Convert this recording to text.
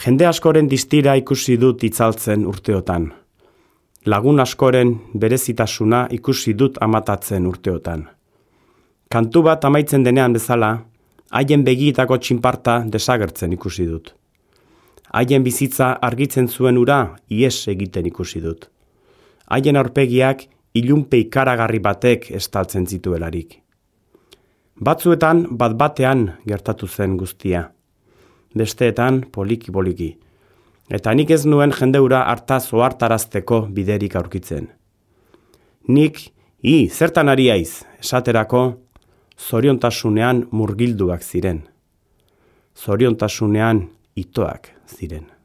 Jende askoren distira ikusi dut itzaltzen urteotan. Lagun askoren berezitasuna ikusi dut amatatzen urteotan. Kantu bat amaitzen denean bezala, haien begietako txinparta desagertzen ikusi dut. Haien bizitza argitzen zuen ura ihes egiten ikusi dut. Haien aurpegiak ilunpe ikaragarri batek estaltzen zituelarik. Batzuetan bat-batean gertatu zen guztia. Besteetan poliki-poliki. Eta nik ez nuen jendeura hartaz ohartarazteko biderik aurkitzen. Nik, zertan ari haiz, esaterako, zoriontasunean murgilduak ziren. Zoriontasunean itoak ziren.